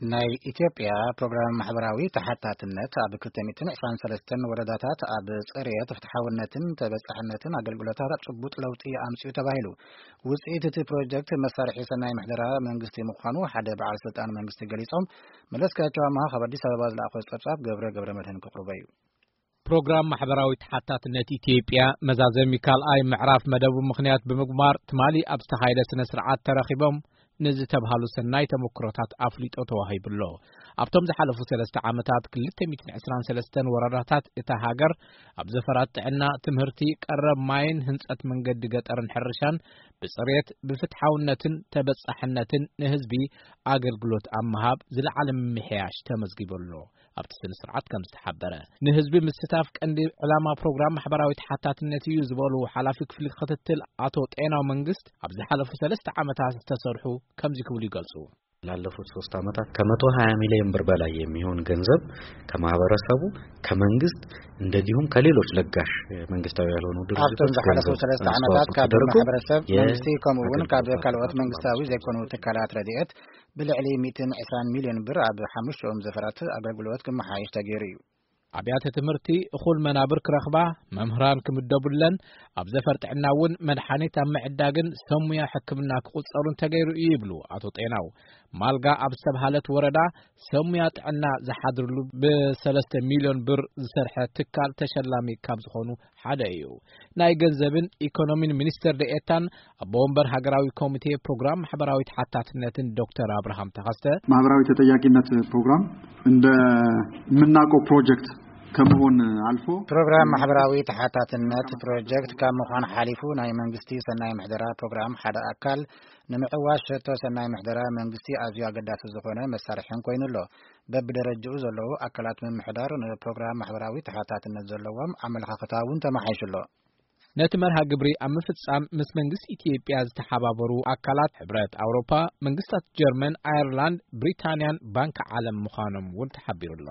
ናይ ኢትዮጵያ ፕሮግራም ማሕበራዊ ተሓታትነት ኣብ ክልተ ሚእትን ዕስራን ሰለስተን ወረዳታት ኣብ ጽሬት፣ ፍትሓውነትን ተበጻሕነትን ኣገልግሎታት ጭቡጥ ለውጢ ኣምጺኡ ተባሂሉ። ውጽኢት እቲ ፕሮጀክት መሳርሒ ሰናይ ምሕደራ መንግስቲ ምዃኑ ሓደ በዓል ስልጣን መንግስቲ ገሊጾም። መለስካቸው ኣማሃ ካብ ኣዲስ ኣበባ ዝለኣኾ ጸብጻብ ገብረ ገብረ መድህን ክቕርቦ እዩ። ፕሮግራም ማሕበራዊ ተሓታትነት ኢትዮጵያ መዛዘሚ ካልኣይ ምዕራፍ መደቡ ምኽንያት ብምግባር ትማሊ ኣብ ዝተኻየደ ስነ ስርዓት ተረኺቦም ንዝተብሃሉ ሰናይ ተመክሮታት ኣፍሊጦ ተዋሂቡሎ። ኣብቶም ዝሓለፉ ሰለስተ ዓመታት ክልተ ሚእትን ዕስራን ሰለስተን ወረዳታት እታ ሃገር ኣብ ዘፈራት ጥዕና፣ ትምህርቲ፣ ቀረብ ማይን ህንጸት መንገዲ ገጠርን ሕርሻን ብጽሬት፣ ብፍትሓውነትን ተበጻሕነትን ንህዝቢ ኣገልግሎት ኣብ ምሃብ ዝለዓለ ምምሕያሽ ተመዝጊቡ ኣሎ። ኣብቲ ስነ ስርዓት ከም ዝተሓበረ፣ ንህዝቢ ምስታፍ ቀንዲ ዕላማ ፕሮግራም ማሕበራዊ ተሓታትነት እዩ ዝበሉ ሓላፊ ክፍሊ ክትትል ኣቶ ጤናው መንግስት፣ ኣብ ዝሓለፉ ሰለስተ ዓመታት ዝተሰርሑ ከምዚ ክብሉ ይገልጹ። ላለፉት ሶስት ዓመታት ከመቶ ሃያ ሚሊዮን ብር በላይ የሚሆን ገንዘብ ከማህበረሰቡ፣ ከመንግስት እንደዚሁም ከሌሎች ለጋሽ መንግስታዊ ያልሆኑ ድርጅቶች ኣብቶም ዝሓለፉ ገንዘብ ሰለስተ ዓመታት ኣስተዋጽኦ ካብ ተደርጎ ማሕበረሰብ፣ መንግስቲ ከምኡ እውን ካብ ኣገልግሎት ካልኦት ኣቅርቦት መንግስታዊ ዘይኮኑ ትካላት ረድኤት ብልዕሊ ሚእትን ዕስራን ሚሊዮን ብር ኣብ ሓሙሽተኦም ዘፈራት ኣገልግሎት ክመሓየሽ ተገይሩ እዩ። ኣብያተ ትምህርቲ እኹል መናብር ክረኽባ፣ መምህራን ክምደቡለን፣ ኣብ ዘፈር ጥዕና እውን መድሓኒት ኣብ ምዕዳግን ሰብ ሙያ ሕክምና ክቑጸሩን ተገይሩ እዩ ይብሉ ኣቶ ጤናው። ማልጋ ኣብ ዝተብሃለት ወረዳ ሰብ ሙያ ጥዕና ዝሓድርሉ ብሰለስተ ሚሊዮን ብር ዝሰርሐ ትካል ተሸላሚ ካብ ዝኾኑ ሓደ እዩ። ናይ ገንዘብን ኢኮኖሚን ሚኒስትር ደኤታን ኣቦ ወንበር ሃገራዊ ኮሚቴ ፕሮግራም ማሕበራዊ ተሓታትነትን ዶክተር ኣብርሃም ተኸስተ፣ ማህበራዊ ተጠያቂነት ፕሮግራም እንደምናውቀው ፕሮጀክት ከመሆን ኣልፎ ፕሮግራም ማሕበራዊ ተሓታትነት ፕሮጀክት ካብ ምዃን ሓሊፉ ናይ መንግስቲ ሰናይ ምሕደራ ፕሮግራም ሓደ ኣካል ንምዕዋት ሸቶ ሰናይ ምሕደራ መንግስቲ ኣዝዩ ኣገዳሲ ዝኾነ መሳርሕን ኮይኑ ኣሎ። በብደረጃኡ ዘለዉ ኣካላት ምምሕዳር ንፕሮግራም ማሕበራዊ ተሓታትነት ዘለዎም ኣመለኻኽታ እውን ተመሓይሹ ኣሎ። ነቲ መርሃ ግብሪ ኣብ ምፍጻም ምስ መንግስቲ ኢትዮጵያ ዝተሓባበሩ ኣካላት ሕብረት ኣውሮፓ፣ መንግስታት ጀርመን፣ ኣየርላንድ፣ ብሪታንያን ባንኪ ዓለም ምዃኖም እውን ተሓቢሩ ኣሎ።